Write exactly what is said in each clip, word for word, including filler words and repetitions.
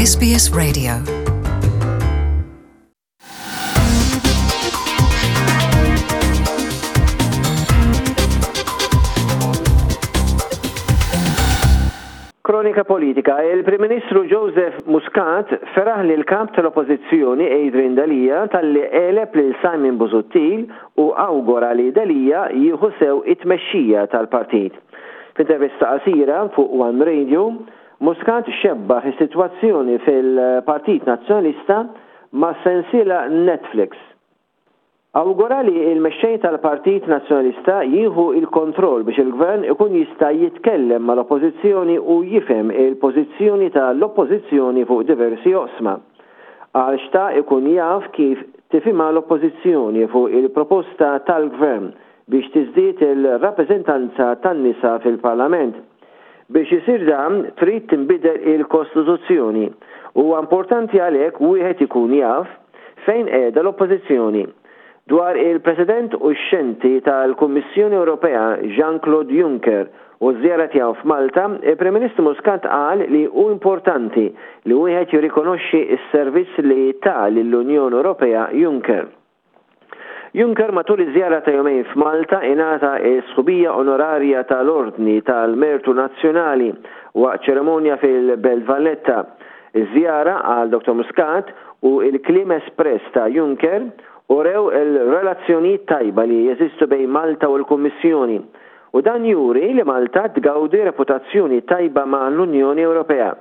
S B S Radio. Kronika politika, il-Prim Ministru Joseph Muscat feraħ li l-kap tal-Oppożizzjoni Adrian Delia talli għeleb lil Simon Busuttil u awgura li Delia jieħu sew it-tmexxija tal-partit. F'intervista qasira fuq One Radio, Muscat xebbaħ is-sitwazzjoni fil-Partit Nazzjonalista ma' sensiela Netflix. Awgura li il-mexxej tal-Partit Nazzjonalista jieħu il-kontroll biex il-gvern ikun jista' jitkellem mal-Oppożizzjoni u jifhem il-pożizzjoni tal-Oppożizzjoni fuq diversi oqsma. Għal xtaq ikun jaf kif tifhimha l-Oppożizzjoni fuq il-proposta tal-gvern biex tiżdied il-rappreżentanza tan-nisa fil-Parlament. Biex isir dan trid tinbidel il-Kostituzzjoni. Huwa importanti għalhekk wieħed ikun jaf fejn qiegħda l-Oppożizzjoni. Dwar il-President uxxenti tal-Kummissjoni Ewropea Jean-Claude Juncker u ż-żjara tiegħu f'Malta, il-Prim Ministru Muscat qal li hu importanti li wieħed jirrikonoxxi s-servizz li ta lill-Unjoni Ewropea Juncker. Juncker matul iż-żjara ta' jumejn f'Malta ingħata s-sħubija onorarja tal-Ordni tal-Mertu Nazzjonali waqt ċerimonja fil-Belt Valletta. Iż-żjara għal Doktor Muscat u il-kliem espress ta' Juncker urew il-relazzjonijiet tajba li jeżistu bejn Malta u l-Kummissjoni, u dan juri li Malta tgawdi reputazzjoni tajba ma' l-Unjoni Ewropea.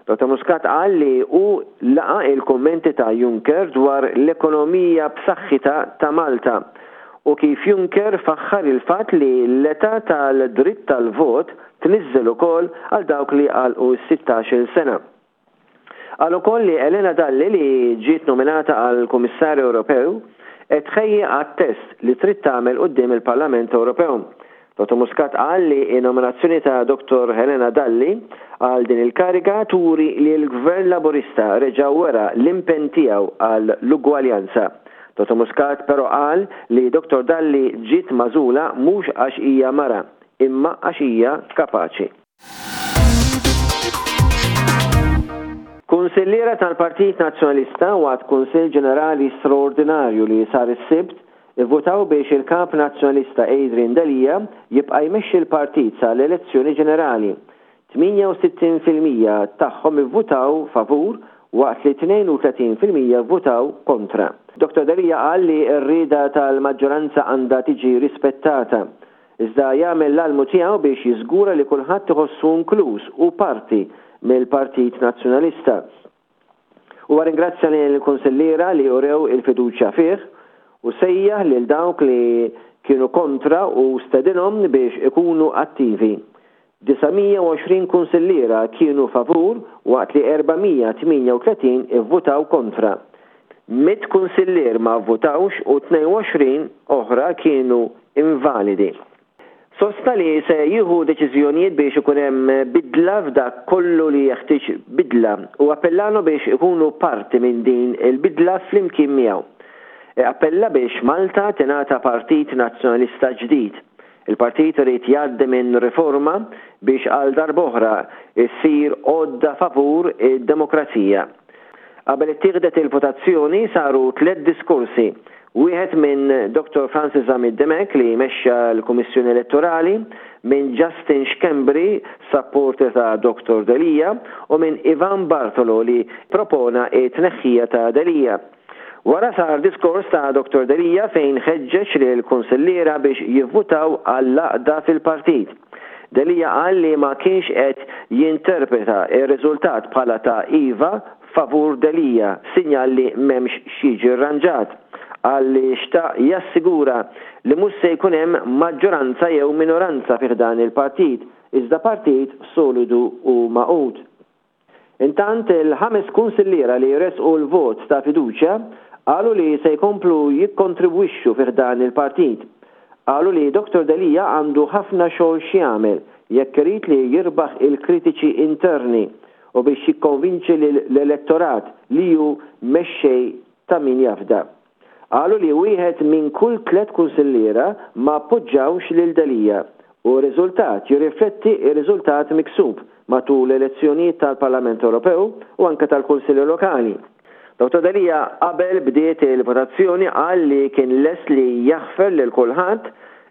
Doktor Muscat qal li hu laqa il-kommenti ta' Juncker dwar l-ekonomija b'saħħitha ta' Malta u kif Juncker faħħar il-fatt li l-età tal-dritt tal-vot tniżżel ukoll għal dawk li għalqu sittax-il sena. Qal ukoll li Helena Dalli, li ġiet nominata għal Kummissarju Ewropew, qed tħejji għat-test li trid tagħmel quddiem il-Parlament Ewropew. Doktor Muscat qal li n-nominazzjoni ta' Doktor Helena Dalli għal din il-kariga turi li l-Gvern Laburista reġa' wera l-impenn tiegħu għal l-ugwaljanza. Doktor Muscat però qal li Doktor Dalli ġiet magħżula mhux għax hija mara, imma għax hija kapaċi. Kunsilliera tal-Partit Nazzjonalista waqt Kunsill Ġenerali Straordinarju li sar is-Sibt ivvutaw biex il-Kap Nazzjonalista Adrian Delia jibqa' jmexxi l-partit sal-elezzjoni ġenerali. tmienja u sittin fil-mija tagħhom ivvutaw favur waqt li tnejn u tletin fil-mija vvutaw kontra. Doktor Delia qal li r-rieda tal-maġġoranza għandha tiġi rispettata, iżda jagħmel l-almu tiegħu biex jiżgura li kulħadd iħossu inkluż u parti mill-Partit Nazzjonalista. Huwa ringrazzja lill-kunsilliera li urew il-fiduċja fih u sejjaħ lil dawk li kienu kontra u stedinhom biex ikunu attivi. Disa' mija u għoxrin kunsilliera kienu favur waqt li erba' mija tmienja u tletin ivvutaw kontra. Mitt kunsillier ma vvutawx u tnejn u għoxrin oħra kienu invalidi. Sostna li se jieħu deċiżjonijiet biex ikun hemm bidla f'dak kollu li jeħtieġ bidla u appellanu biex ikunu parti minn din il-bidla flimkien miegħu. E appella biex Malta tingħata Partit Nazzjonalista ġdid. Il-partit irid jgħaddi minn riforma biex għal darb'oħra issir għodda favur id-demokrazija. Qabel ittieħdet il-votazzjoni saru tliet diskorsi. Wieħed minn Doktor Francis Zammit Dimech li mexxa l-Kummissjoni Elettorali, minn Justin Schembri, supporter ta' Doktor Delia, u minn Ivan Bartolo li propona it-tneħħija ta' Delia. Wara sar diskors ta' Doktor Delia fejn ħeġġeġ lil kunsilliera biex jivvutaw għall-għaqda fil-partit. Delia qal li ma kienx qed jinterpreta r-riżultat bħala ta' iva favur Delia, sinjal li m'hemmx xi rranġat. Qal li xtaq jassigura li mhux se jkun hemm maġġoranza jew minoranza fih dan il-partit, iżda partit solidu u magħqud. Intant il-ħames kunsilliera li resqu l-vot ta' fiduċja qalu li se jkomplu jikkontribwixxu fih dan il-partit. Qalu li Doktor Delia għandu ħafna xogħol x'jagħmel jekk irid li jirbaħ il-kritiċi interni u biex jikkonvinċi l-elettorat li hu mexxej ta' min jafda. Qalu li wieħed minn kull tliet kunsilliera ma appoġġawx lil Delia U r-riżultat jirrifletti r-riżultat miksub matul l-elezzjonijiet tal-Parlament Ewropew u anke tal-Kunsilli Lokali. Dottor Delia qabel bdiet il-votazzjoni qal li kien lest li jaħfer lil kulħadd,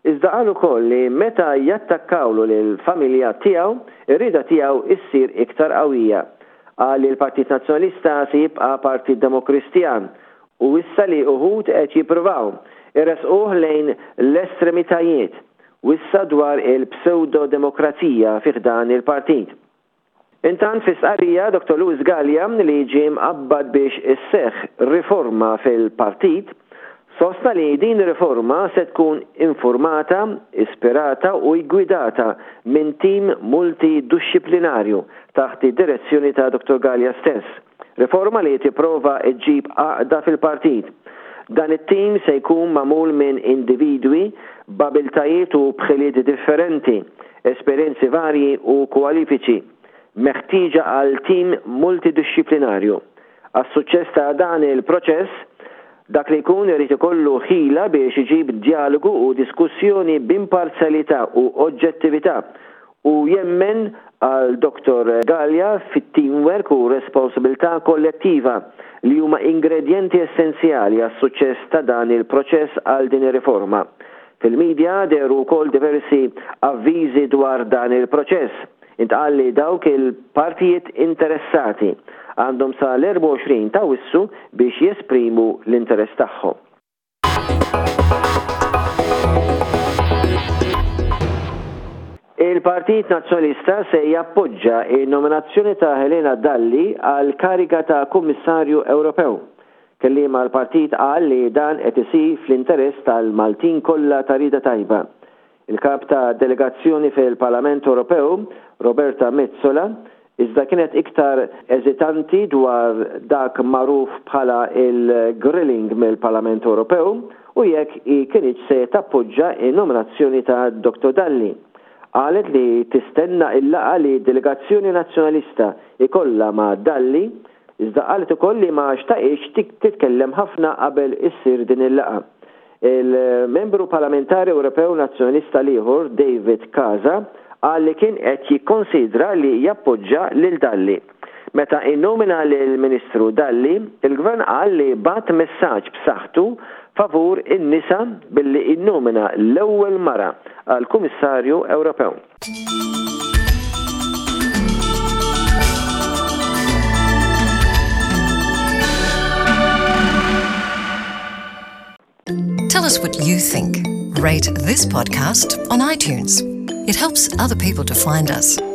iżda qal ukoll li meta jattakkawlu lill-familja tiegħu, ir-rieda tiegħu issir iktar qawwija. Qal li l-Partit Nazzjonalista se jibqa' partit Demokristjan u wissa li uħud qed jippruvaw iressquh lejn l-estremitajiet. Wissa dwar il-pseudo-demokrazija fi ħdan il-partit. Intant fi stqarrija Dottor Louis Galea, li ġie mqabbad biex isseħħ riforma fil-partit, sostna li din riforma se tkun informata, ispirata u gwidata minn tim multidixxiplinarju taħt id-direzzjoni ta' Dottor Galea stess. Riforma li tipprova ġġib għaqda fil-partit. Dan it-tim se jkun magħmul minn individwi b'abiltajiet u b'ħiliet differenti, esperjenzi varji u kwalifiċi meħtieġa għal tim multidixxiplinarju. Għas-suċċess ta' dan il-proċess, dak li jkun irid ikollu ħila biex iġib dialogu u diskussjoni b'imparzjalità u oġġettività u jemmen għal Dottor Galea fit-teamwork u responsabilità kollettiva li huma ingredjenti essenzjali għas-suċċess ta' dan il-proċess għal din ir-riforma. Fil-medja dehru wkoll diversi avviżi dwar dan il-proċess. Intqal li dawk il-partijiet interessati għandhom sa l-erbgħa u għoxrin ta' Awwissu biex jesprimu l-interess tagħhom. Il-Partit Nazzjonalista se jappoġġa n-nominazzjoni ta' Helena Dalli għal kariga ta' Kummissarju Ewropew. Kelliem għall-partit qal li dan qed isir fl-interess tal-Maltin kollha ta' rieda tajba. Il-kap ta' delegazzjoni fil-Parlament Ewropew, Roberta Metsola, iżda kienet iktar eżitanti dwar dak magħruf bħala il-grilling mill-Parlament Ewropew u jekk hi kinitx se tappoġġa n-nominazzjoni ta' Dottor Dalli. Qalet li tistenna il-laqgħa li delegazzjoni nazzjonalista ikollha ma' Dalli, iżda qalet ukoll li ma xtaqitx titkellem ħafna qabel issir din il-laqgħa. Il-membru parlamentari Ewropew Nazzjonalista l-ieħor, David Casa, qal li kien qed jikkonsidra li jappoġġa lil Dalli. Meta innomina lill-Ministru Dalli, il-Gvern qal li bagħat messaġġ b'saħħtu favur in-nisa billi innomina l-ewwel mara għal Kummissarju Ewropew. Tell us what you think. Rate this podcast on iTunes. It helps other people to find us.